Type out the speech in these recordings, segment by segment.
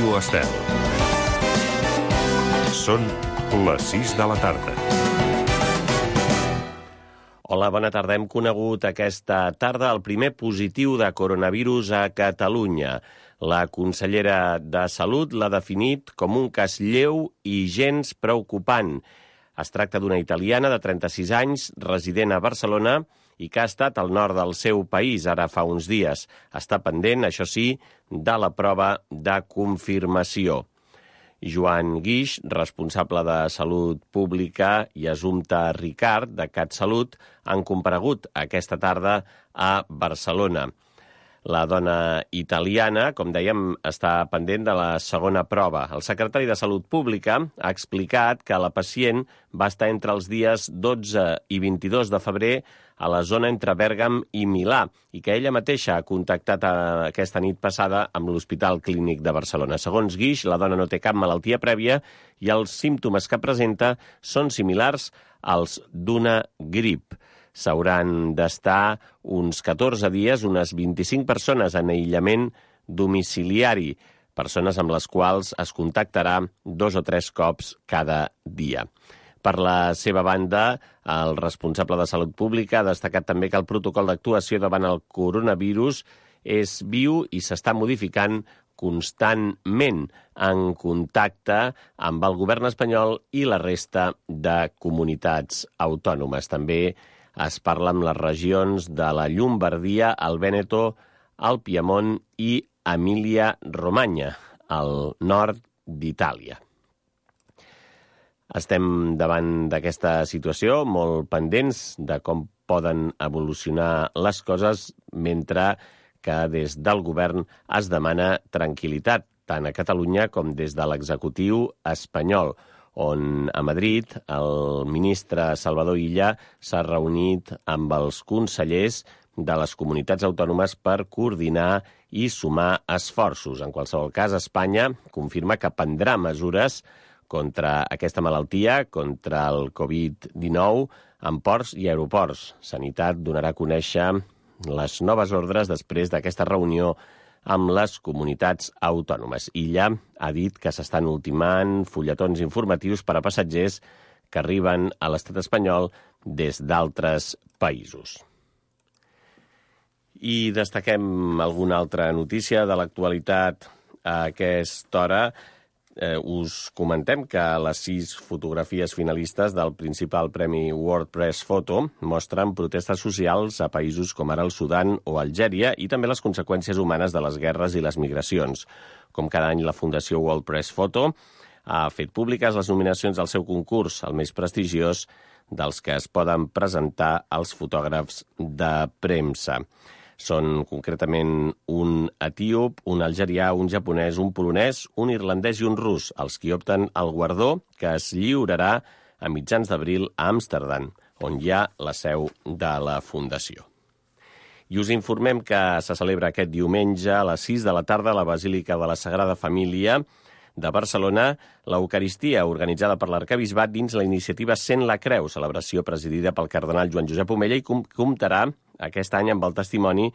Ràdio Estel. Són les 6 de la tarda. Hola, bona tarda. Hem conegut aquesta tarda el primer positiu de coronavirus a Catalunya. La consellera de Salut l'ha definit com un cas lleu i gens preocupant. Es tracta d'una italiana de 36 anys, resident a Barcelona, i que ha estat al nord del seu país ara fa uns dies. Està pendent, això sí, de la prova de confirmació. Joan Guix, responsable de Salut Pública, i Assumpta Ricard, de CatSalut, han comparegut aquesta tarda a Barcelona. La dona italiana, com dèiem, està pendent de la segona prova. El secretari de Salut Pública ha explicat que la pacient va estar entre els dies 12 i 22 de febrer a la zona entre Bèrgam i Milà i que ella mateixa ha contactat aquesta nit passada amb l'Hospital Clínic de Barcelona. Segons Guix, la dona no té cap malaltia prèvia i els símptomes que presenta són similars als d'una grip. S'hauran d'estar uns 14 dies, unes 25 persones en aïllament domiciliari, persones amb les quals es contactarà 2 o 3 cops cada dia. Per la seva banda, el responsable de Salut Pública ha destacat també que el protocol d'actuació davant el coronavirus és viu i s'està modificant constantment en contacte amb el govern espanyol i la resta de comunitats autònomes. També es parla amb les regions de la Llombardia, el Vèneto, el Piemont i Emília-Romanya, al nord d'Itàlia. Estem davant d'aquesta situació, molt pendents de com poden evolucionar les coses, mentre que des del govern es demana tranquil·litat, tant a Catalunya com des de l'executiu espanyol, on a Madrid el ministre Salvador Illa s'ha reunit amb els consellers de les comunitats autònomes per coordinar i sumar esforços. En qualsevol cas, Espanya confirma que prendrà mesures contra aquesta malaltia, contra el Covid-19, en ports i aeroports. Sanitat donarà a conèixer les noves ordres després d'aquesta reunió amb les comunitats autònomes. Illa ha dit que s'estan ultimant fulletons informatius per a passatgers que arriben a l'estat espanyol des d'altres països. I destaquem alguna altra notícia de l'actualitat a aquesta hora. Us comentem que les 6 fotografies finalistes del principal premi World Press Photo mostren protestes socials a països com ara el Sudan o Algèria i també les conseqüències humanes de les guerres i les migracions. Com cada any, la Fundació World Press Photo ha fet públiques les nominacions del seu concurs, el més prestigiós dels que es poden presentar als fotògrafs de premsa. Són concretament un etíop, un algerià, un japonès, un polonès, un irlandès i un rus, els qui opten al guardó que es lliurarà a mitjans d'abril a Amsterdam, on hi ha la seu de la Fundació. I us informem que se celebra aquest diumenge a les 6 de la tarda a la Basílica de la Sagrada Família de Barcelona l'Eucaristia, organitzada per l'Arquebisbat dins la iniciativa Sent la Creu, celebració presidida pel cardenal Joan Josep Omella i comptarà aquest any amb el testimoni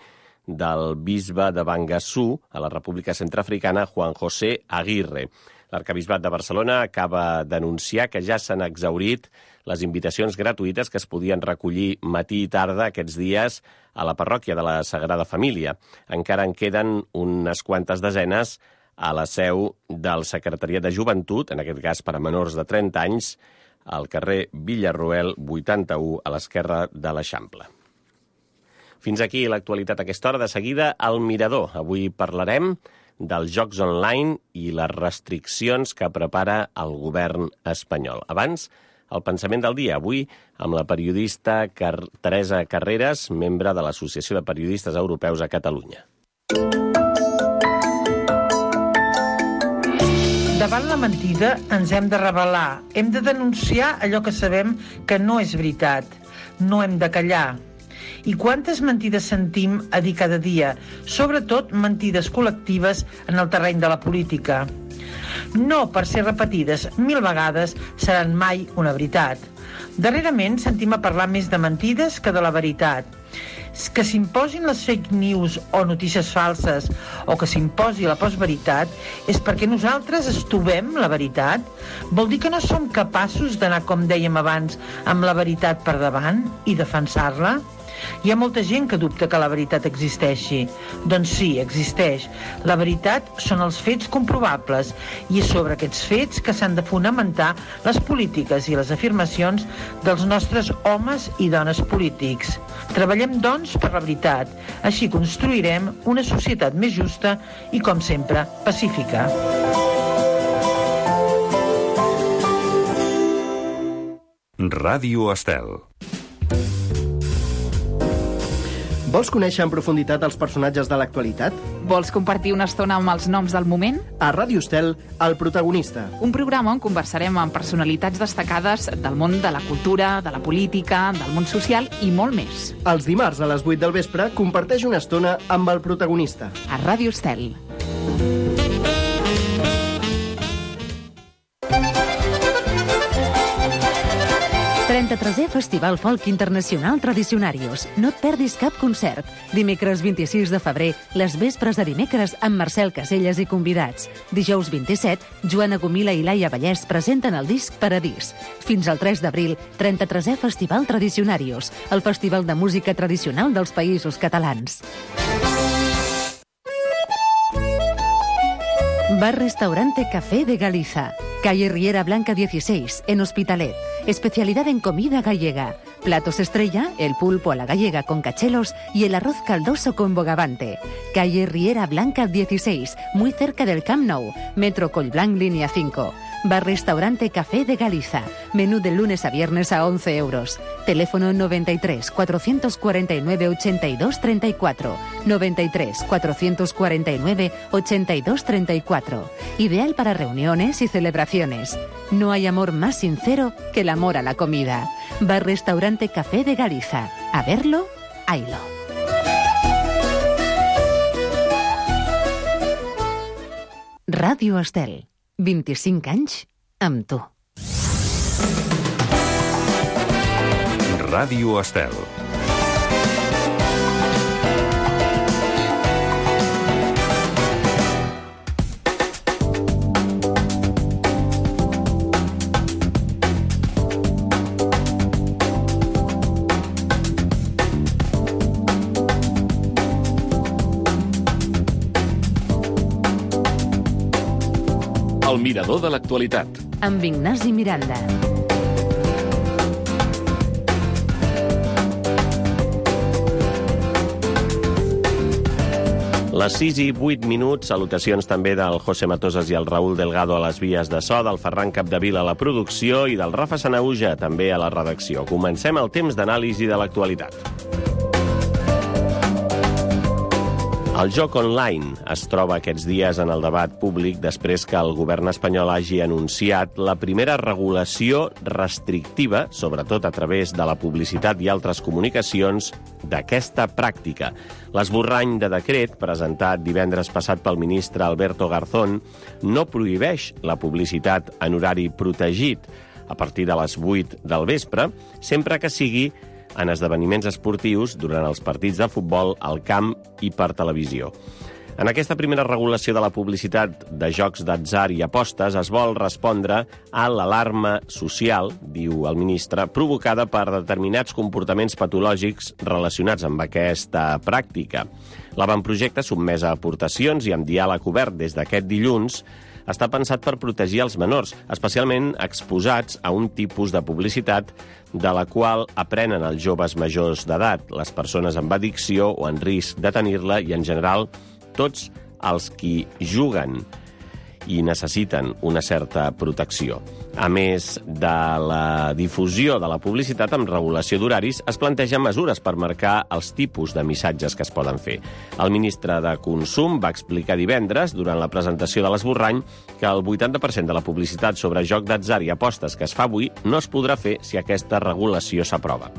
del bisbe de Bangassou, a la República Centreafricana, Juan José Aguirre. L'Arquebisbat de Barcelona acaba d'anunciar que ja s'han exhaurit les invitacions gratuïtes que es podien recollir matí i tarda aquests dies a la parròquia de la Sagrada Família. Encara en queden unes quantes desenes a la seu del Secretariat de Joventut, en aquest cas per a menors de 30 anys, al carrer Villarroel 81, a l'esquerra de l'Eixample. Fins aquí l'actualitat a aquesta hora. De seguida, al Mirador. Avui parlarem dels jocs online i les restriccions que prepara el govern espanyol. Abans, el pensament del dia. Avui, amb la periodista Teresa Carreras, membre de l'Associació de Periodistes Europeus a Catalunya. Davant la mentida ens hem de rebel·lar. Hem de denunciar allò que sabem que no és veritat. No hem de callar. I quantes mentides sentim a dir cada dia, sobretot mentides col·lectives en el terreny de la política. No, per ser repetides 1000 vegades, seran mai una veritat. Darrerament sentim a parlar més de mentides que de la veritat. Que s'imposin les fake news o notícies falses o que s'imposi la postveritat és perquè nosaltres estovem la veritat? Vol dir que no som capaços d'anar, com dèiem abans, amb la veritat per davant i defensar-la? Hi ha molta gent que dubta que la veritat existeixi. Doncs sí, existeix. La veritat són els fets comprovables i és sobre aquests fets que s'han de fonamentar les polítiques i les afirmacions dels nostres homes i dones polítics. Treballem, doncs, per la veritat. Així construirem una societat més justa i, com sempre, pacífica. Ràdio Estel. Vols conèixer en profunditat els personatges de l'actualitat? Vols compartir una estona amb els noms del moment? A Ràdio Estel, El protagonista. Un programa on conversarem amb personalitats destacades del món de la cultura, de la política, del món social i molt més. Els dimarts a les 8 del vespre comparteix una estona amb El protagonista. A Ràdio Estel. Festival Folk Internacional Tradicionarios. No et perdis cap concert. Dimecres 26 de febrer, les vespres de dimecres amb Marcel Caselles i convidats. Dijous 27, Joana Gomila i Laia Vallès presenten el disc Paradís. Fins al 3 d'abril, 33è Festival Tradicionarios, el festival de música tradicional dels Països Catalans. Bar-restaurante Café de Galiza. Calle Riera Blanca 16, en Hospitalet. Especialidad en comida gallega. Platos estrella, el pulpo a la gallega con cachelos y el arroz caldoso con bogavante. Calle Riera Blanca 16, muy cerca del Camp Nou. Metro Collblanc, línea 5. Bar-restaurante Café de Galiza. Menú de lunes a viernes a 11 euros. Teléfono 93 449 82 34. 93 449 82 34. Ideal para reuniones y celebraciones. No hay amor más sincero que el amor a la comida. Bar-restaurante Café de Galiza. A verlo, haylo. Ràdio Estel. 25 anys amb tu. Ràdio Estel. El mirador de l'actualitat. Amb Ignasi Miranda. Les 6 i 8 minuts, salutacions també del José Matosas i el Raúl Delgado a les vies de so, del Ferran Capdevila a la producció i del Rafa Sanauja també a la redacció. Comencem el temps d'anàlisi de l'actualitat. El joc online es troba aquests dies en el debat públic després que el govern espanyol hagi anunciat la primera regulació restrictiva, sobretot a través de la publicitat i altres comunicacions, d'aquesta pràctica. L'esborrany de decret, presentat divendres passat pel ministre Alberto Garzón, no prohibeix la publicitat en horari protegit a partir de les 8 del vespre, sempre que sigui en esdeveniments esportius durant els partits de futbol, al camp i per televisió. En aquesta primera regulació de la publicitat de jocs d'atzar i apostes es vol respondre a l'alarma social, diu el ministre, provocada per determinats comportaments patològics relacionats amb aquesta pràctica. L'avantprojecte, sotmès a aportacions i amb diàleg obert des d'aquest dilluns, està pensat per protegir els menors, especialment exposats a un tipus de publicitat de la qual aprenen els joves majors d'edat, les persones amb addicció o en risc de tenir-la i, en general, tots els qui juguen i necessiten una certa protecció. A més de la difusió de la publicitat amb regulació d'horaris, es plantegen mesures per marcar els tipus de missatges que es poden fer. El ministre de Consum va explicar divendres, durant la presentació de l'esborrany, que el 80% de la publicitat sobre joc d'atzar i apostes que es fa avui no es podrà fer si aquesta regulació s'aprova.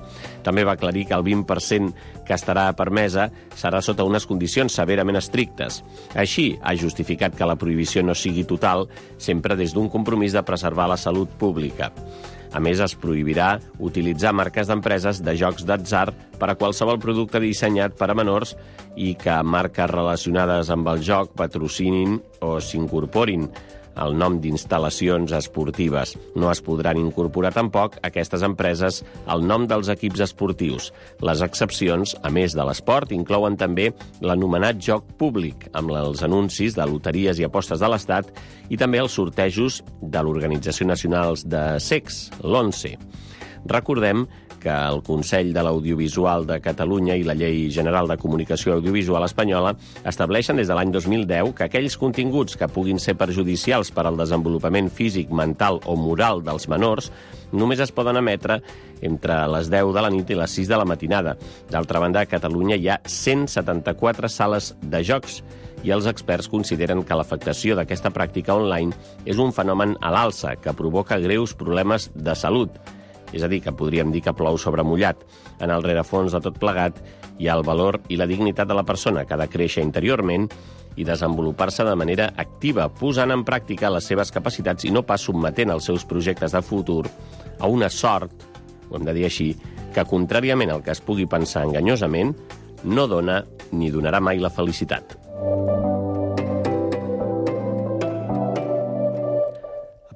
També va aclarir que el 20% que estarà permesa serà sota unes condicions severament estrictes. Així, ha justificat que la prohibició no sigui total, sempre des d'un compromís de preservar la salut pública. A més, es prohibirà utilitzar marques d'empreses de jocs d'atzar per a qualsevol producte dissenyat per a menors i que marques relacionades amb el joc patrocinin o s'incorporin el nom d'instal·lacions esportives. No es podran incorporar tampoc aquestes empreses al nom dels equips esportius. Les excepcions, a més de l'esport, inclouen també l'anomenat joc públic, amb els anuncis de loteries i apostes de l'Estat i també els sortejos de l'Organització Nacional de Secs, l'ONCE. Recordem que el Consell de l'Audiovisual de Catalunya i la Llei General de Comunicació Audiovisual espanyola estableixen des de l'any 2010 que aquells continguts que puguin ser perjudicials per al desenvolupament físic, mental o moral dels menors només es poden emetre entre les 10 de la nit i les 6 de la matinada. D'altra banda, a Catalunya hi ha 174 sales de jocs i els experts consideren que l'afectació d'aquesta pràctica online és un fenomen a l'alça que provoca greus problemes de salut. És a dir, que podríem dir que plou sobre mullat. En el rerefons de tot plegat hi ha el valor i la dignitat de la persona, que ha de créixer interiorment i desenvolupar-se de manera activa, posant en pràctica les seves capacitats i no pas submetent els seus projectes de futur a una sort, ho hem de dir així, que, contràriament al que es pugui pensar enganyosament, no dona ni donarà mai la felicitat.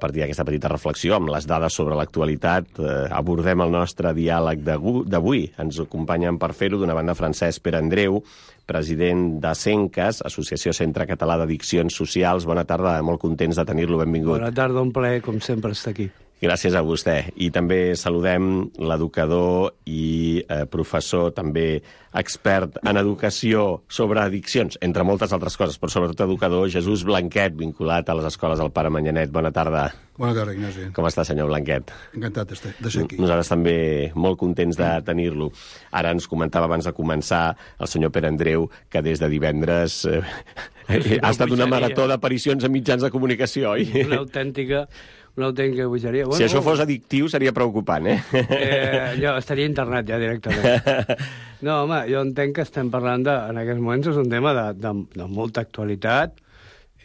A partir d'aquesta petita reflexió, amb les dades sobre l'actualitat, abordem el nostre diàleg d'avui. Ens acompanyen per fer-ho, d'una banda, Francesc Perandreu, president de CENCAS, Associació Centre Català d'Addiccions Socials. Bona tarda, molt contents de tenir-lo, benvingut. Bona tarda, un plaer, com sempre, estar aquí. Gràcies a vostè. I també saludem l'educador i professor, també expert en educació sobre addiccions, entre moltes altres coses, però sobretot educador, Jesús Blanquet, vinculat a les escoles del Pare Manyanet. Bona tarda. Bona tarda, Ignasi. Com està, senyor Blanquet? Encantat de ser aquí. Nosaltres també molt contents de tenir-lo. Ara ens comentava abans de començar el senyor Pere Andreu que des de divendres ha estat una marató d'aparicions a mitjans de comunicació, oi? Una autèntica bogeria. Si això fos addictiu seria preocupant, Jo estaria internat ja directament. No, home, jo entenc que estem parlant en aquests moments és un tema de molta actualitat.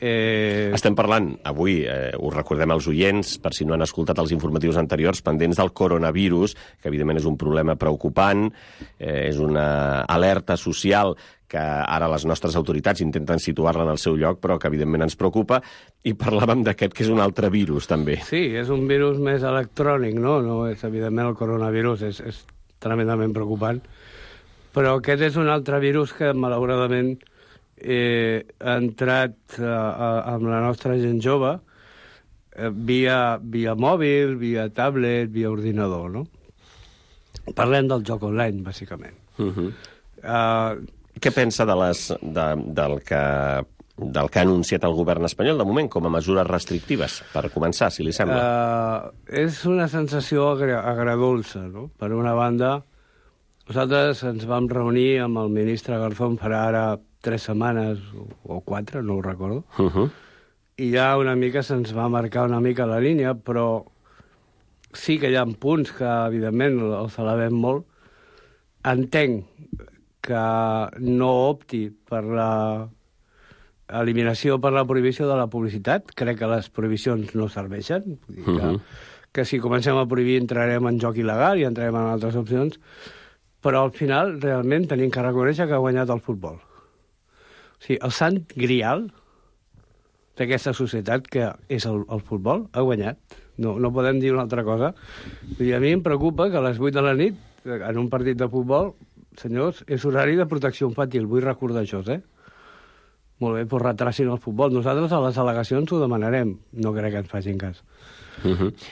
Estem parlant avui, us recordem als oients, per si no han escoltat els informatius anteriors, pendents del coronavirus, que evidentment és un problema preocupant, és una alerta social que ara les nostres autoritats intenten situar-la en el seu lloc, però que evidentment ens preocupa, i parlàvem d'aquest que és un altre virus, també. Sí, és un virus més electrònic, no? No és, evidentment, el coronavirus és tremendament preocupant, però aquest és un altre virus que, malauradament, ha entrat amb la nostra gent jove via mòbil, via tablet, via ordinador, no? Parlem del joc online, bàsicament. Què pensa del que ha anunciat el govern espanyol, de moment, com a mesures restrictives, per començar, si li sembla? És una sensació agradolça, no? Per una banda, nosaltres ens vam reunir amb el ministre Garzón per ara 3 setmanes o 4, no ho recordo, i ja una mica se'ns va marcar una mica la línia, però sí que hi ha punts que, evidentment, els alabem molt. Entenc que no opti per l'eliminació, per la prohibició de la publicitat. Crec que les prohibicions no serveixen. Vull dir que si comencem a prohibir entrarem en joc il·legal i entrarem en altres opcions, però al final realment tenim que reconèixer que ha guanyat el futbol. O sigui, el sant grial d'aquesta societat, que és el futbol, ha guanyat. No podem dir una altra cosa. I a mi em preocupa que a les 8 de la nit, en un partit de futbol, senyors, és horari de protecció infantil. Vull recordar això, Molt bé, doncs retracin el futbol. Nosaltres a les al·legacions ho demanarem. No crec que ens facin cas.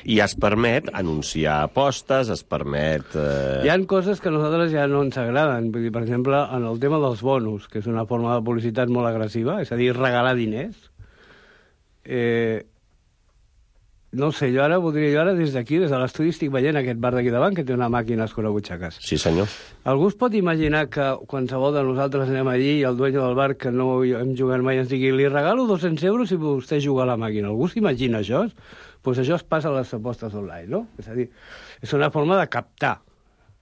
I es permet anunciar apostes, es permet... Hi ha coses que a nosaltres ja no ens agraden. Vull dir, per exemple, en el tema dels bonus, que és una forma de publicitat molt agressiva, és a dir, regalar diners. No sé, jo ara des d'aquí, des de l'estudi, estic veient aquest bar d'aquí davant que té una màquina escurabutxaques. Sí, senyor. Algú es pot imaginar que qualsevol de nosaltres anem allí i el dueño del bar, que no hem jugat mai, ens digui li regalo 200 euros si vostè juga a la màquina. Algú s'imagina això? Doncs això es passa a les apostes online, no? És a dir, és una forma de captar.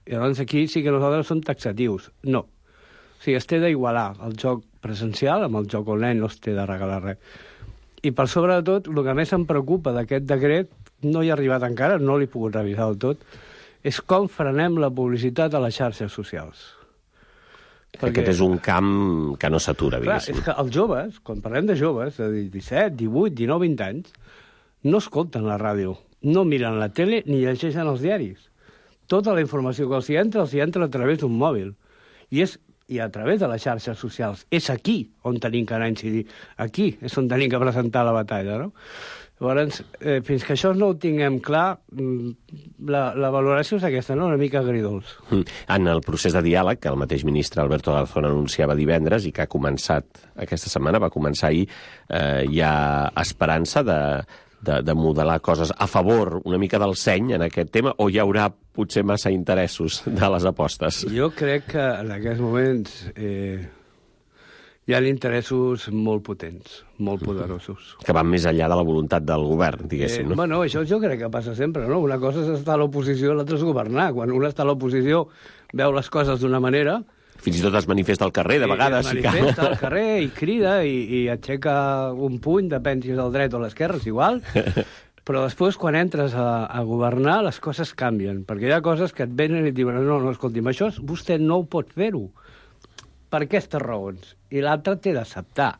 I llavors aquí sí que nosaltres som taxatius. No. O sigui, es té d'igualar el joc presencial amb el joc online, no es té de regalar res. I per sobre de tot, el que més em preocupa d'aquest decret, no hi ha arribat encara, no l'he pogut revisar del tot, és com frenem la publicitat a les xarxes socials. Aquest és un camp que no s'atura, diguéssim. És que els joves, quan parlem de joves, de 17, 18, 19, 20 anys, no escolten la ràdio, no miren la tele ni llegeixen els diaris. Tota la informació que els entra a través d'un mòbil. I a través de les xarxes socials. És aquí on tenim que anar a incidir. Aquí és on tenim que presentar la batalla, no? Llavors, fins que això no ho tinguem clar, la valoració és aquesta, no? Una mica agridols. En el procés de diàleg, que el mateix ministre Alberto Garzón anunciava divendres i que ha començat aquesta setmana, va començar ahir, hi ha esperança de modelar coses a favor una mica del seny en aquest tema, o hi haurà potser massa interessos de les apostes? Jo crec que en aquests moments hi ha interessos molt potents, molt poderosos. Que van més enllà de la voluntat del govern, diguéssim, no? Bueno, això jo crec que passa sempre, no? Una cosa és estar a l'oposició, l'altra és governar. Quan un està a l'oposició veu les coses d'una manera... Fins i tot es manifesta al carrer, de vegades. Es manifesta al carrer i crida i aixeca un puny, depèn si és al dret o a l'esquerra, és igual. Però després, quan entres a governar, les coses canvien. Perquè hi ha coses que et venen i et diuen no, escolti'm, això vostè no pot fer-ho per aquestes raons. I l'altre té d'acceptar.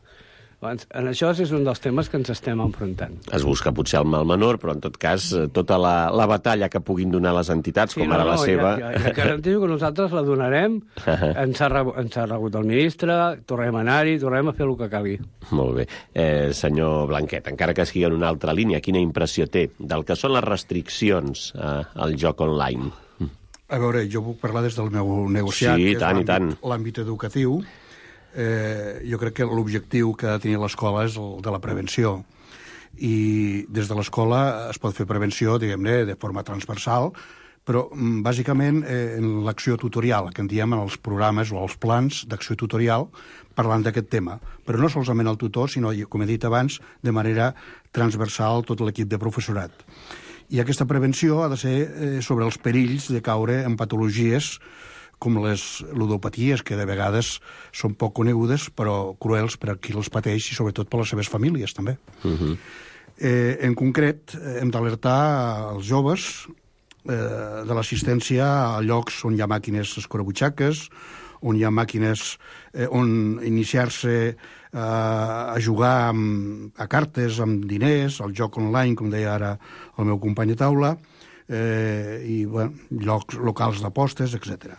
En això és un dels temes que ens estem enfrontant. Es busca potser el mal menor, però en tot cas tota la batalla que puguin donar les entitats, com ara la seva... Ja garantijo que nosaltres la donarem. Ens ha rebut el ministre, tornem a anar-hi, tornem a fer el que calgui. Molt bé. Senyor Blanquet, encara que sigui en una altra línia, quina impressió té del que són les restriccions al joc online? A veure, jo puc parlar des del meu negociat, sí, que és l'àmbit educatiu. Jo crec que l'objectiu que ha de tenir l'escola és el de la prevenció. I des de l'escola es pot fer prevenció, diguem-ne, de forma transversal, però bàsicament en l'acció tutorial, que en diem en els programes o els plans d'acció tutorial, parlant d'aquest tema. Però no solament el tutor, sinó, com he dit abans, de manera transversal tot l'equip de professorat. I aquesta prevenció ha de ser sobre els perills de caure en patologies com les ludopaties, que de vegades són poc conegudes, però cruels per a qui les pateix i sobretot per les seves famílies, també. En concret, hem d'alertar els joves de l'assistència a llocs on hi ha màquines escurabutxaques, on hi ha màquines on iniciar-se a jugar a cartes, amb diners, al joc online, com deia ara el meu company de taula, i llocs locals d'apostes, etc.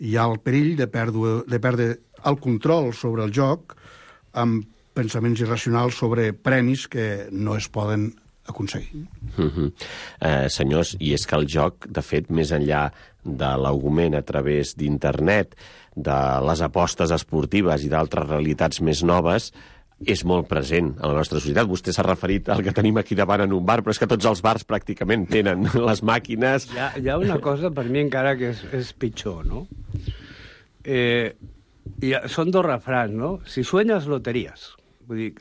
Hi ha el perill de perdre el control sobre el joc amb pensaments irracionals sobre premis que no es poden aconseguir. Senyors, i és que el joc, de fet, més enllà de l'augment a través d'internet, de les apostes esportives i d'altres realitats més noves, és molt present a la nostra societat. Vostè s'ha referit al que tenim aquí davant en un bar, però és que tots els bars pràcticament tenen les màquines. Hi ha una cosa, per mi encara, que és pitjor, no? Són dos refrans, no? Si sueñas, loterías. Vull dir,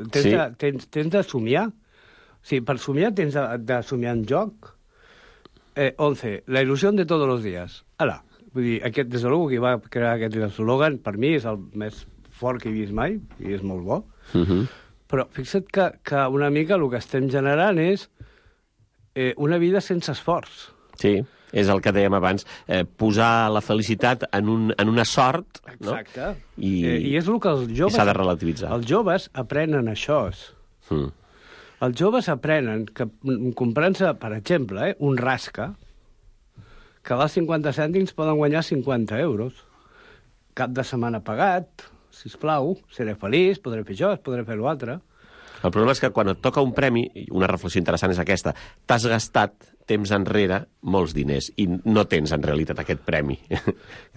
tens de somiar. O sigui, per somiar tens de somiar en joc. 11. La il·lusió de tots els dies. Ala. Vull dir, aquest, des de luego, que va crear aquest eslògan, per mi és el més fort que he vist mai, i és molt bo. Però fixa't que una mica el que estem generant és una vida sense esforç. Sí, és el que dèiem abans, posar la felicitat en una sort, no? Exacte. I és el que els joves... s'ha de relativitzar. Els joves aprenen això. Els joves aprenen que comprant-se, per exemple, un rasca, que a 50 cèntims poden guanyar 50 euros. Cap de setmana pagat, sisplau, seré feliç, podré fer això, podré fer l'altre. El problema és que quan et toca un premi, una reflexió interessant és aquesta, t'has gastat temps enrere molts diners i no tens en realitat aquest premi.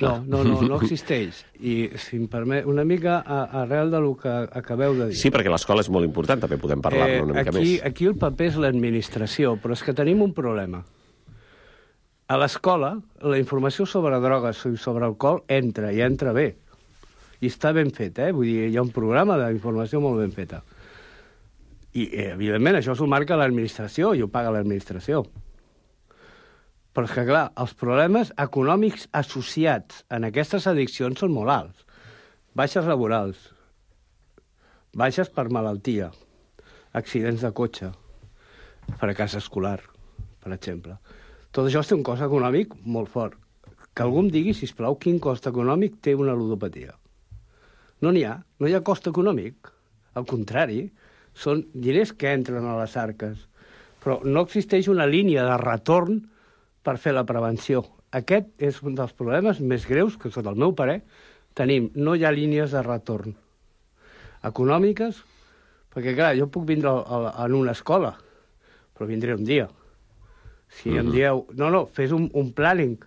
No existeix. I, si em permet, una mica arrel del que acabeu de dir. Sí, perquè l'escola és molt important, també podem parlar-ne una mica més. Aquí el paper és l'administració, però és que tenim un problema. A l'escola, la informació sobre drogues i sobre alcohol entra, i entra bé. I està ben fet, Vull dir, hi ha un programa d'informació molt ben feta. I, evidentment, això s'ho marca l'administració i ho paga l'administració. Però és que, clar, els problemes econòmics associats en aquestes addiccions són molt alts. Baixes laborals, baixes per malaltia, accidents de cotxe, fracàs escolar. per exemple. Tot això té un cost econòmic molt fort. Que algú em digui, sisplau, quin cost econòmic té una ludopatia. No n'hi ha cost econòmic. Al contrari, són diners que entren a les arques. Però no existeix una línia de retorn per fer la prevenció. Aquest és un dels problemes més greus que, sota el meu parer, tenim. No hi ha línies de retorn econòmiques, perquè, clar, jo puc vindre en una escola, però vindré un dia. Si em dieu, no, fes un planning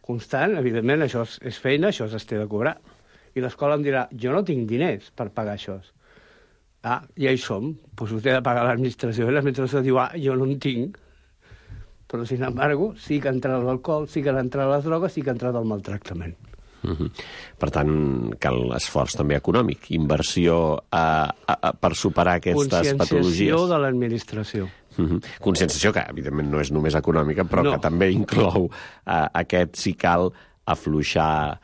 constant, evidentment, això és feina, això es té de cobrar. I l'escola em dirà, jo no tinc diners per pagar això. Ja hi som, doncs ho té de pagar l'administració, i l'administració diu, jo no en tinc. Però, sin embargo, sí que ha entrat l'alcohol, sí que han entrat les drogues, sí que ha entrat el maltractament. Per tant, cal esforç també econòmic, inversió per superar aquestes patologies. Conscienciació de l'administració. Conscienciació que, evidentment, no és només econòmica, però que també inclou aquest, si cal, afluixar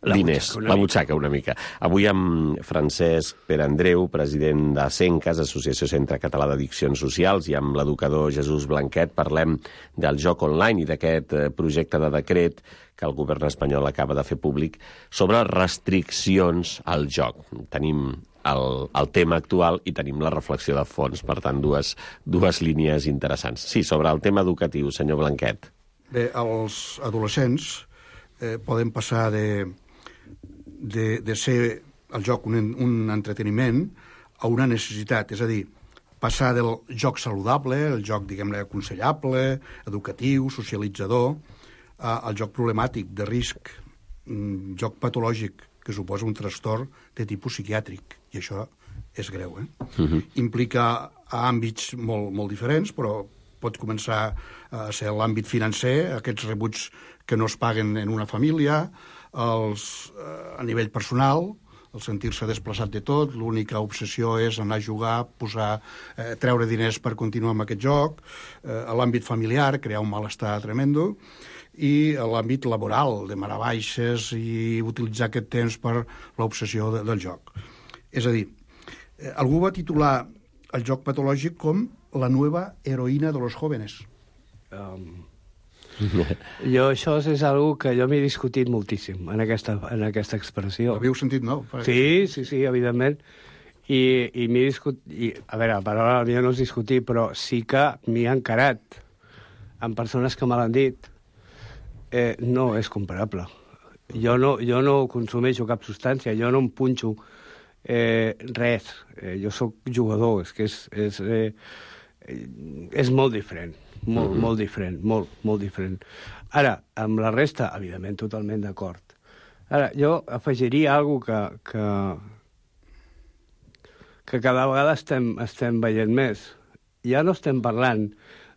diners, la butxaca una mica. Avui amb Francesc Perandreu, president de CENCAS, Associació Centre Català d'Addiccions Socials, i amb l'educador Jesús Blanquet parlem del joc online i d'aquest projecte de decret que el govern espanyol acaba de fer públic sobre restriccions al joc. Tenim el tema actual i tenim la reflexió de fons, per tant, dues línies interessants. Sí, sobre el tema educatiu, senyor Blanquet. Bé, els adolescents poden passar de ser el joc un entreteniment a una necessitat, és a dir, passar del joc saludable, el joc, diguem-ne, aconsellable, educatiu, socialitzador, al joc problemàtic, de risc, joc patològic, que suposa un trastorn de tipus psiquiàtric, i això és greu. Implica àmbits molt diferents, però pot començar a ser l'àmbit financer, aquests rebuts que no es paguen en una família, a nivell personal, el sentir-se desplaçat de tot, l'única obsessió és anar a jugar, treure diners per continuar amb aquest joc, a l'àmbit familiar, crear un malestar tremendo, i a l'àmbit laboral, de marar baixes i utilitzar aquest temps per l'obsessió del joc. És a dir, algú va titular el joc patològic com la nueva heroïna de los jóvenes. Jo això és algo que jo m'he discutit moltíssim en aquesta expressió. L'havíeu sentit, no? Sí, evidentment. I m'he discutit... A veure, la paraula millor no és discutir, però sí que m'hi he encarat amb persones que me l'han dit. No és comparable. Jo no consumeixo cap substància, jo no em punxo res. Jo sóc jugador, és que és molt diferent. Molt diferent, molt diferent. Ara, amb la resta, evidentment, totalment d'acord. Ara, jo afegiria alguna cosa que cada vegada estem veient més. Ja no estem parlant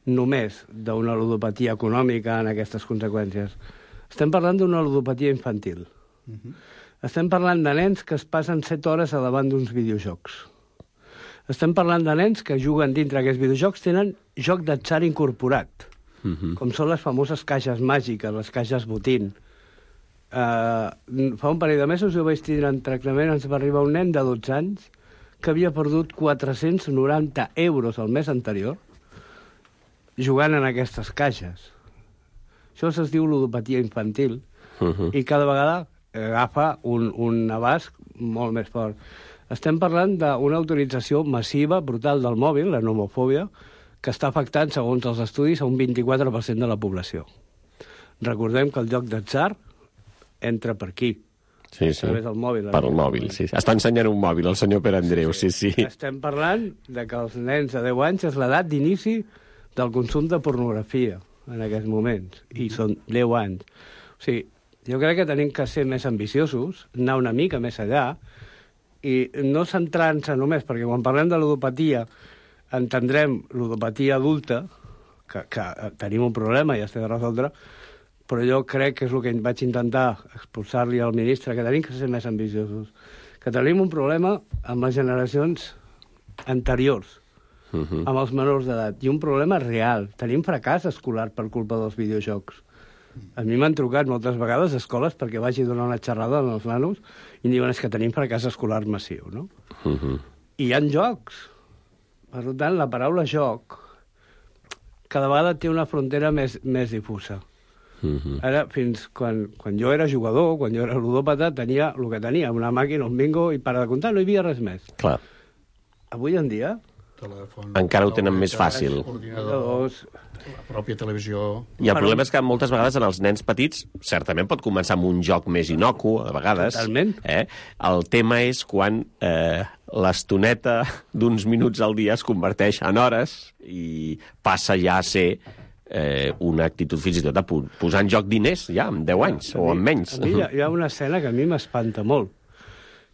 només d'una ludopatia econòmica en aquestes conseqüències. Estem parlant d'una ludopatia infantil. Estem parlant de nens que es passen 7 hores a davant d'uns videojocs. Estem parlant de nens que juguen dintre aquests videojocs, tenen joc d'atzar incorporat, com són les famoses caixes màgiques, les caixes botín. Fa un parell de mesos jo vaig tindre en tractament, ens va arribar un nen de 12 anys que havia perdut 490 euros el mes anterior jugant en aquestes caixes. Això es diu ludopatia infantil i cada vegada agafa un abast molt més fort. Estem parlant d'una utilització massiva, brutal del mòbil, la nomofòbia, que està afectant, segons els estudis, a un 24% de la població. Recordem que el joc d'atzar entra per aquí. Sí. Del mòbil. Per el mòbil, sí. Està ensenyant un mòbil, el senyor Perandreu, sí. Estem parlant de que els nens de 10 anys és l'edat d'inici del consum de pornografia en aquests moments, i són 10 anys. O sigui, jo crec que tenim que ser més ambiciosos, anar una mica més allà, i no centrant-se només, perquè quan parlem de ludopatia entendrem ludopatia adulta, que tenim un problema i es té de resoldre, però jo crec que és el que vaig intentar expulsar-li al ministre, que tenim que ser més ambiciosos, que tenim un problema amb les generacions anteriors, amb els menors d'edat, i un problema real. Tenim fracàs escolar per culpa dels videojocs. A mi m'han trucat moltes vegades a escoles perquè vagi a donar una xerrada als nanos i diuen que tenim fracàs escolar massiu, no? I hi ha jocs. Per tant, la paraula joc cada vegada té una frontera més difusa. Ara, fins quan jo era jugador, quan jo era ludòpata, tenia el que tenia, una màquina, un bingo, i per de comptar no hi havia res més. Clar. Avui en dia... Encara ho tenen més fàcil. La pròpia televisió... I el problema és que moltes vegades en els nens petits certament pot començar amb un joc més inocu, a vegades. Totalment. El tema és quan l'estoneta d'uns minuts al dia es converteix en hores i passa ja a ser una actitud fins i tot de posar en joc diners ja amb 10 anys o amb menys. A mi hi ha una escena que a mi m'espanta molt,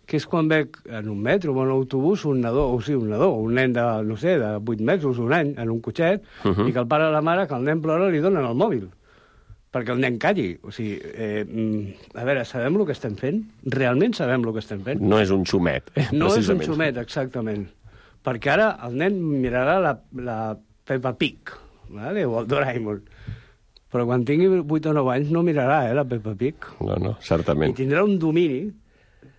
que és quan veig en un metro o en un autobús un nen de, no sé, de 8 mesos, un any, en un cotxet, i que el pare o la mare, que el nen plora, li donen el mòbil perquè el nen calli. O sigui, a veure, sabem el que estem fent? Realment sabem el que estem fent? No és un xumet, No és un xumet, exactament. Perquè ara el nen mirarà la Peppa Pig, vale? O el Doraemon. Però quan tingui 8 o 9 anys no mirarà la Peppa Pig. No, certament. I tindrà un domini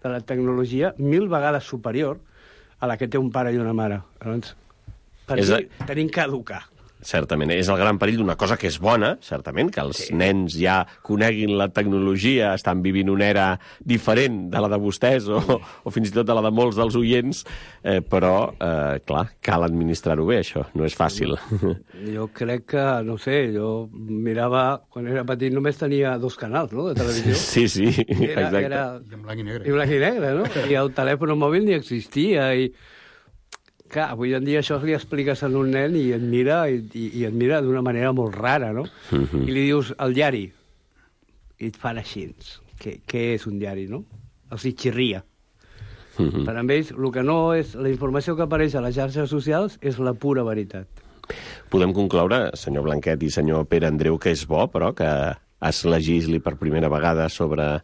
de la tecnologia 1000 vegades superior a la que té un pare i una mare. Llavors, per aquí tenim que educar. Certament, és el gran perill d'una cosa que és bona, certament, que els nens ja coneguin la tecnologia, estan vivint una era diferent de la de vostès o fins i tot de la de molts dels oients, però, clar, cal administrar-ho bé, això, no és fàcil. Jo crec que, no sé, jo mirava, quan era petit només tenia 2 canals, no?, de televisió. Sí, exacte. I en blanc i negre. I blanc i negre, no? I el telèfon mòbil ni existia, i... Clar, avui en dia això li expliques a un nen i et mira d'una manera molt rara, no? I li dius el diari, i et fan així. Què és un diari, no? Els hi xirria. Per a ells, el que no és... La informació que apareix a les xarxes socials és la pura veritat. Podem concloure, senyor Blanquet i senyor Pere Andreu, que és bo, però, que es legisli per primera vegada sobre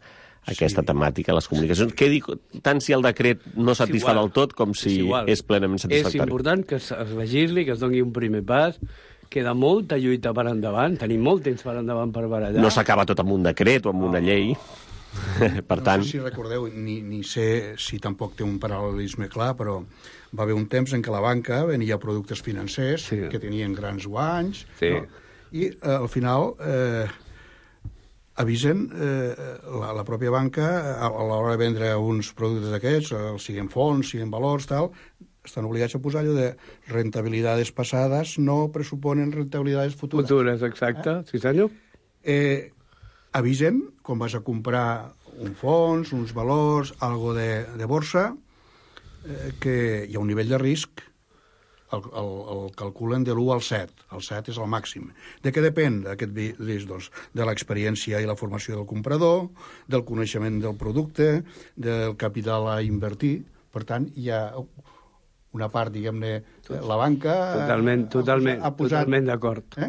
aquesta temàtica, les comunicacions. Què dic, tant si el decret no satisfà del tot com si és plenament satisfactori? És important que es legisli, que es doni un primer pas, queda molta lluita per endavant, tenim molt temps per endavant per barallar. No s'acaba tot amb un decret o amb una llei. Per tant... No sé si recordeu, ni sé si tampoc té un paral·lelisme clar, però va haver un temps en què la banca venia productes financers que tenien grans guanys, no? I al final... avisen la pròpia banca a l'hora de vendre uns productes d'aquests, siguin fons, siguin valors, tal, estan obligats a posar allò de rentabilidades passades no pressuponen rentabilidades futures. Futures, exacte, sí senyor. Avisen, quan vas a comprar un fons, uns valors, algo de borsa, que hi ha un nivell de risc, el calculen de l'1 al 7. El 7 és el màxim. De què depèn aquest risc? Doncs de l'experiència i la formació del comprador, del coneixement del producte, del capital a invertir. Per tant, hi ha una part, diguem-ne, la banca... Totalment d'acord.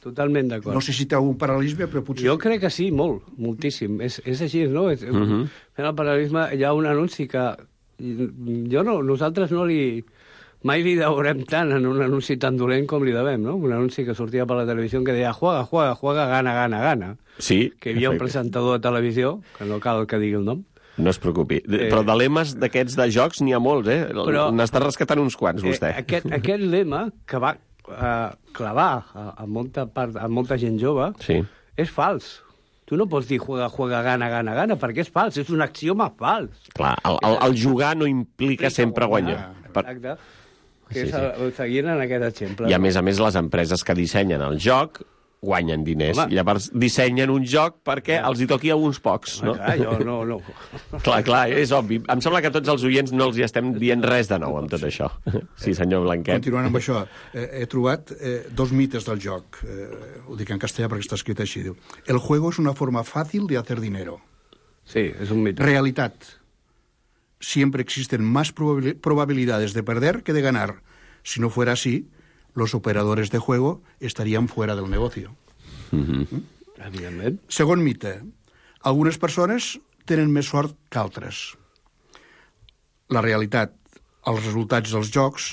Totalment d'acord. No sé si té algun paral·lelisme, però potser... Jo crec que sí, molt, moltíssim. És així, no? Fent el paral·lelisme, hi ha un anunci que... Nosaltres no li... Mai li deurem tant en un anunci tan dolent com li devem, no? Un anunci que sortia per la televisió que deia juega, gana. Sí. Que hi havia un presentador de televisió, que no cal que digui el nom. No es preocupi. Però de lemes d'aquests de jocs n'hi ha molts, N'està rescatant uns quants, vostè. Aquest lema que va clavar a molta gent jove és fals. Tu no pots dir juega, gana, perquè és fals, és un axioma fals. Clar, el jugar no implica sempre guanyar. Exacte. Que és seguint en aquest exemple. I a més, les empreses que dissenyen el joc guanyen diners. I llavors dissenyen un joc perquè els hi toqui a uns pocs, no? No. Clar, és obvi. Em sembla que a tots els oients no els hi estem dient res de nou amb tot això. Sí, senyor Blanquet. Continuant amb això, he trobat 2 mites del joc. Ho dic en castellà perquè està escrit així. Diu, el juego es una forma fácil de hacer dinero. Sí, és un mite. Realitat. Siempre existen más probabilidades de perder que de ganar. Si no fuera así, los operadores de juego estarían fuera del negocio. Evidentment. Segon mite. Algunes persones tenen més sort que altres. La realitat, els resultats dels jocs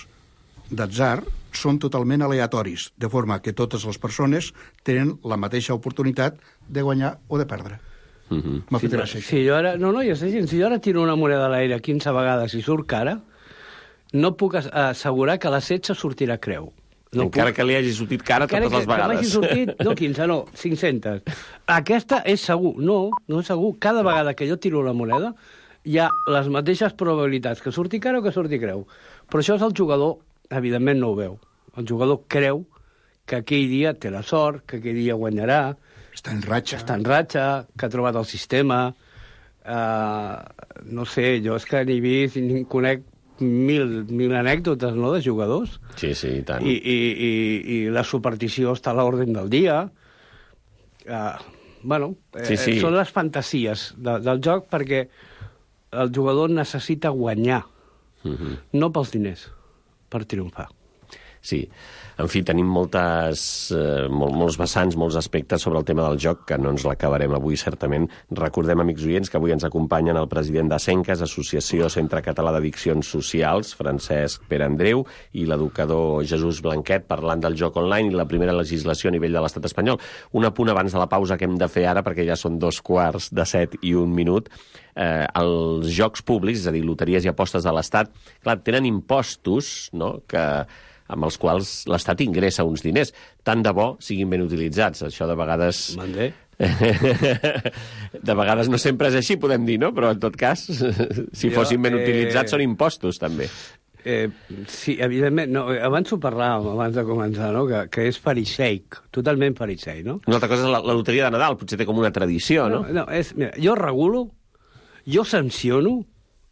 d'atzar són totalment aleatoris, de forma que totes les persones tenen la mateixa oportunitat de guanyar o de perdre. M'ha fet gràcia. Si jo ara tiro una moneda a l'aire 15 vegades i surt cara, no puc assegurar que la 16 sortirà creu. Encara que li hagi sortit cara totes les vegades. Que m'hagi sortit, no 15, no, 500. Aquesta és segur. No és segur. Cada vegada que jo tiro la moneda hi ha les mateixes probabilitats que surti cara o que surti creu. Però això és el jugador, evidentment no ho veu. El jugador creu que aquell dia té la sort, que aquell dia guanyarà. Està en ratxa, que ha trobat el sistema. No sé, jo és que ni vist ni conec mil anècdotes, no?, de jugadors. Sí, i tant. I la superstició està a l'ordre del dia. Són les fantasies del joc perquè el jugador necessita guanyar, no pels diners, per triomfar. Sí. En fi, tenim molts vessants, molts aspectes sobre el tema del joc, que no ens l'acabarem avui, certament. Recordem, amics oients, que avui ens acompanyen el president de Senques, Associació Centre Català d'Addiccions Socials, Francesc Pere Andreu, i l'educador Jesús Blanquet, parlant del joc online i la primera legislació a nivell de l'estat espanyol. Un apunt abans de la pausa que hem de fer ara, perquè ja són 7:15 i 1 minut. Els jocs públics, és a dir, loteries i apostes de l'Estat, clar, tenen impostos, no?, amb els quals l'Estat ingressa uns diners. Tant de bo siguin ben utilitzats. Això de vegades... De vegades no sempre és així, podem dir, no? Però en tot cas, si fossin ben utilitzats, són impostos, també. Sí, evidentment. No, abans ho parlàvem, abans de començar, no? Que és fariseic, totalment fariseic, no? Una altra cosa és la loteria de Nadal, potser té com una tradició, no? Mira, jo regulo, jo sanciono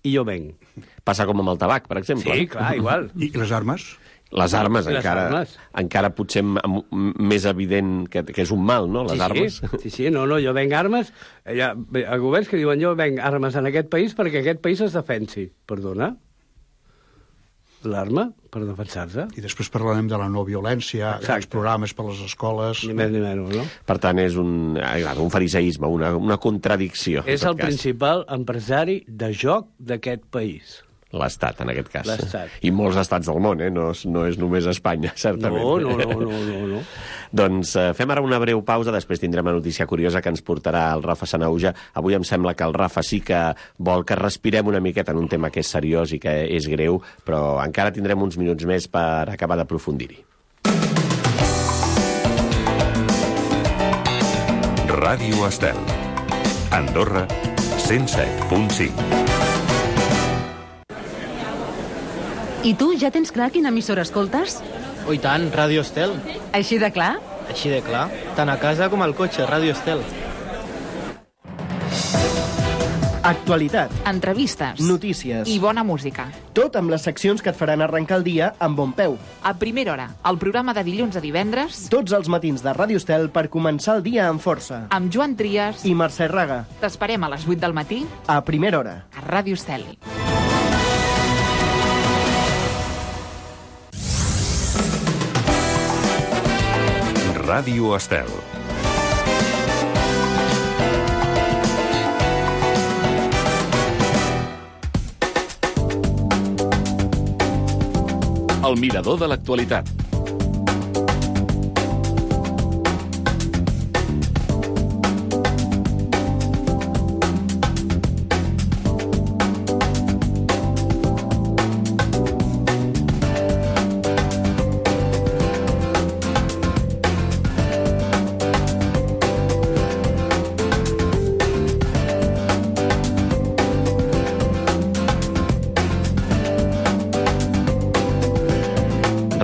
i jo venc. Passa com amb el tabac, per exemple. Sí, clar, igual. I les armes? Les armes, encara potser més evident que és un mal, no?, les armes. Sí, no, jo venc armes. Hi ha governs que diuen jo venc armes en aquest país perquè aquest país es defensi. Perdona? L'arma per defensar-se. I després parlarem de la no violència, els programes per les escoles... Ni més ni menys, no? Per tant, és un fariseisme, una contradicció. És el principal empresari de joc d'aquest país. L'Estat, en aquest cas. L'Estat. I molts estats del món, no és només Espanya, certament. No. Doncs fem ara una breu pausa, després tindrem una notícia curiosa que ens portarà el Rafa Sanauja. Avui em sembla que el Rafa sí que vol que respirem una miqueta en un tema que és seriós i que és greu, però encara tindrem uns minuts més per acabar d'aprofundir-hi. Ràdio Estel. Andorra, 107.5. I tu ja tens clar quina emissora escoltes? Oh, i tant, Ràdio Estel. Així de clar? Així de clar. Tant a casa com al cotxe, Ràdio Estel. Actualitat. Entrevistes. Notícies. I bona música. Tot amb les seccions que et faran arrencar el dia amb bon peu. A primera hora, el programa de dilluns a divendres. Tots els matins de Ràdio Estel per començar el dia amb força. Amb Joan Trias i Mercè Raga. T'esperem a les 8 del matí. A primera hora. A Ràdio Estel. Ràdio Estel. El mirador de l'actualitat.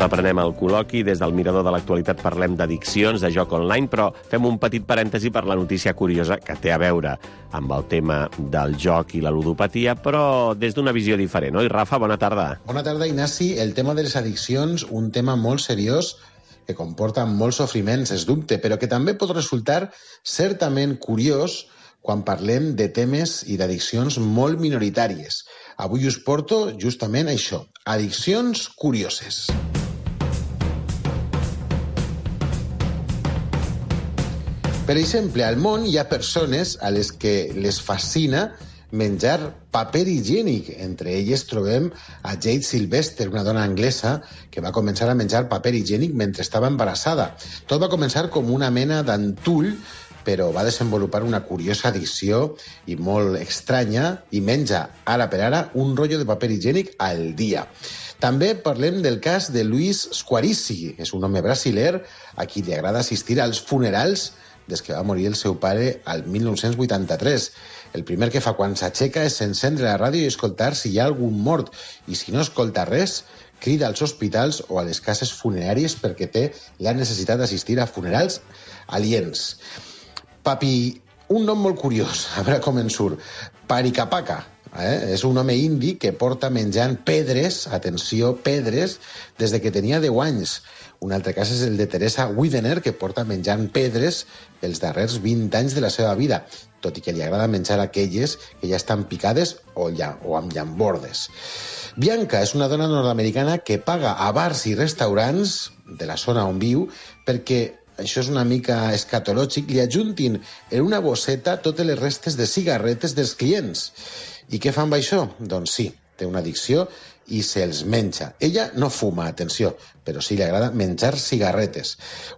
Reprenem el col·loqui. Des del mirador de l'actualitat parlem d'addiccions, de joc online, però fem un petit parèntesi per la notícia curiosa que té a veure amb el tema del joc i la ludopatia, però des d'una visió diferent, oi, Rafa? Bona tarda. Bona tarda, Ignasi. El tema de les addiccions, un tema molt seriós que comporta molts sofriments, és dubte, però que també pot resultar certament curiós quan parlem de temes i d'addiccions molt minoritàries. Avui us porto justament això, addiccions curioses. Per exemple, al món hi ha persones a les que les fascina menjar paper higiènic. Entre elles trobem a Jade Sylvester, una dona anglesa que va començar a menjar paper higiènic mentre estava embarassada. Tot va començar com una mena d'antull, però va desenvolupar una curiosa addicció i molt estranya i menja, ara per ara, un rotllo de paper higiènic al dia. També parlem del cas de Luis Squarici, és un home brasiler a qui li agrada assistir als funerals des que va morir el seu pare al 1983. El primer que fa quan s'aixeca és encendre la ràdio i escoltar si hi ha algun mort, i si no escolta res, crida als hospitals o a les cases funeràries perquè té la necessitat d'assistir a funerals aliens. Papi, un nom molt curiós, a veure com en surt. Parikapaca. És un home indi que porta menjant pedres, atenció, pedres, des de que tenia 10 anys. Un altre cas és el de Teresa Widener, que porta menjant pedres els darrers 20 anys de la seva vida, tot i que li agrada menjar aquelles que ja estan picades o amb llambordes. Bianca és una dona nord-americana que paga a bars i restaurants de la zona on viu perquè, això és una mica escatològic, li ajuntin en una bosseta totes les restes de cigarretes dels clients. I què fa amb això? Doncs sí, té una addicció i se'ls menja. Ella no fuma, atenció, però sí li agrada menjar cigarretes.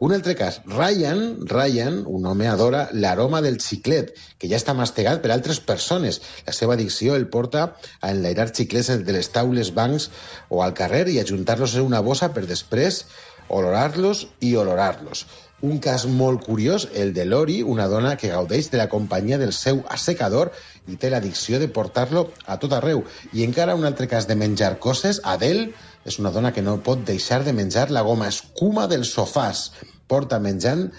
Un altre cas, Ryan, un home adora l'aroma del xiclet, que ja està mastegat per altres persones. La seva addicció el porta a enlairar xiclets de les taules, bancs o al carrer i ajuntar-los en una bossa per després olorar-los i olorar-los. Un cas molt curiós, el de Lori, una dona que gaudeix de la companyia del seu assecador i té l'addicció de portar-lo a tot arreu. I encara un altre cas de menjar coses, Adele és una dona que no pot deixar de menjar la goma escuma dels sofàs. Porta menjant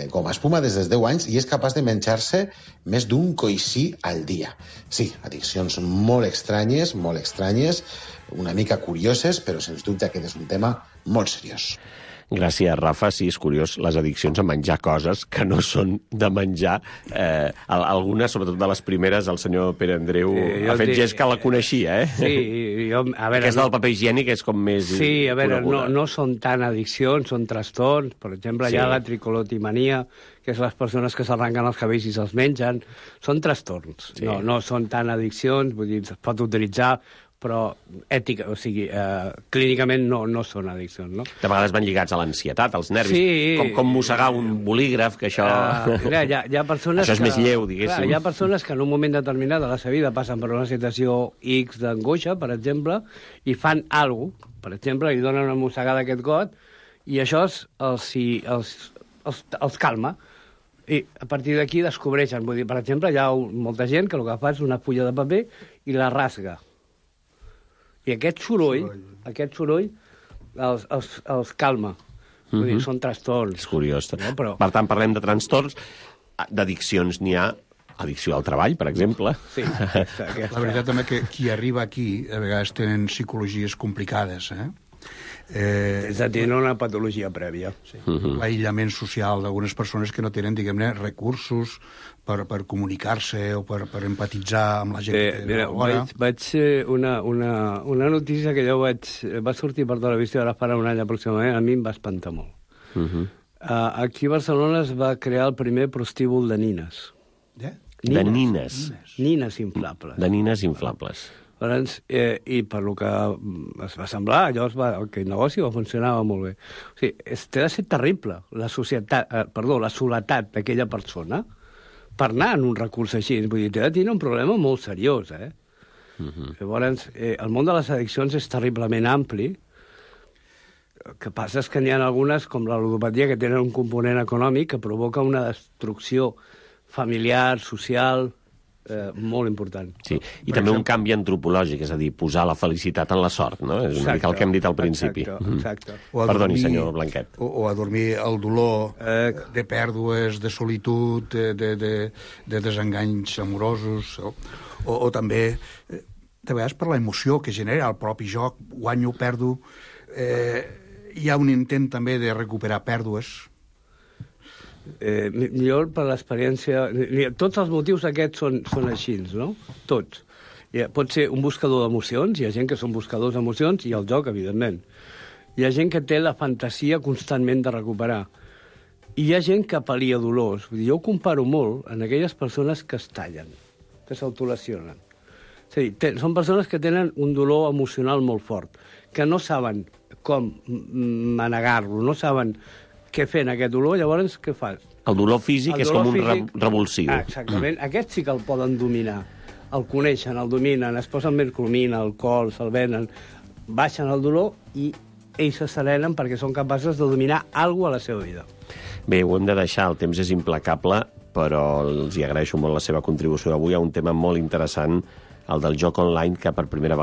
goma espuma des dels 10 anys i és capaç de menjar-se més d'un coixí al dia. Sí, addiccions molt estranyes, una mica curioses, però sens dubte aquest és un tema molt seriós. Gràcies, Rafa. Sí, és curiós, les addiccions a menjar coses que no són de menjar. Algunes, sobretot de les primeres, el senyor Pere Andreu ha fet gest que la coneixia, eh? Sí, jo... A veure, aquesta del paper higiènic és com més... Sí, a veure, no són tan addiccions, són trastorns. Per exemple, hi ha la tricolotimania, que és les persones que s'arrenquen els cabells i se'ls mengen. Són trastorns. Sí. No són tan addiccions, vull dir, es pot utilitzar, però ètica, o sigui, clínicament no són addiccions, no? De vegades van lligats a l'ansietat, als nervis, sí, com mossegar un bolígraf, que això... Hi ha persones això és més lleu, diguéssim. Hi ha persones que en un moment determinat de la seva vida passen per una situació X d'angoixa, per exemple, i fan alguna cosa, per exemple, li donen una mossegada a aquest got, i això els calma. I a partir d'aquí descobreixen. Vull dir, per exemple, hi ha molta gent que el que fa és una fulla de paper i la rasga. I aquest soroll els calma. Vull dir, són trastorns. És curiós. No? Però... Per tant, parlem de trastorns. D'addiccions n'hi ha addicció al treball, per exemple. Sí, la veritat també que qui arriba aquí a vegades tenen psicologies complicades, és a dir, una patologia prèvia. Sí. L'aïllament social d'algunes persones que no tenen, diguem-ne, recursos per comunicar-se o per empatitzar amb la gent. Mira, vaig una notícia que jo va sortir per televisió ara farà un any aproximadament, a mi em va espantar molt. Aquí a Barcelona es va crear el primer prostíbul de nines. De nines? Nines inflables. De nines inflables. I per lo que es va semblar, aquell negoci va funcionar molt bé. O sigui, té de ser terrible la soledat d'aquella persona per anar en un recurs així. Vull dir, té de tenir un problema molt seriós, Llavors, el món de les addiccions és terriblement ampli. El que passa és que n'hi ha algunes, com la ludopatia, que tenen un component econòmic que provoca una destrucció familiar, social... molt important. Sí, i també un canvi antropològic, és a dir, posar la felicitat en la sort, no? És una mica el que hem dit al principi. Exacte. Perdoni, senyor Blanquet. O adormir el dolor de pèrdues, de solitud, de desenganys amorosos, o també, de vegades, per l'emoció que genera el propi joc, guanyo, perdo, hi ha un intent també de recuperar pèrdues. Jo, per l'experiència... Tots els motius aquests són així, no? Tots. Pot ser un buscador d'emocions, hi ha gent que són buscadors d'emocions, i el joc, evidentment. Hi ha gent que té la fantasia constantment de recuperar. I hi ha gent que pal·lia dolors. Vull dir, jo ho comparo molt en aquelles persones que es tallen, que s'autolesionen. És a dir, són persones que tenen un dolor emocional molt fort, que no saben com manegar-lo, no saben què fer en aquest dolor, llavors què fas? El dolor físic és com un revulsiu. Exactament. Aquest sí que el poden dominar. El coneixen, el dominen, es posen mercromina, alcohol, se'l venen. baixen el dolor i ells s'asserenen perquè són capaços de dominar alguna cosa a la seva vida. Bé, ho hem de deixar, el temps és implacable, però els hi agraeixo molt la seva contribució avui a un tema molt interessant, el del joc online, que per primera vegada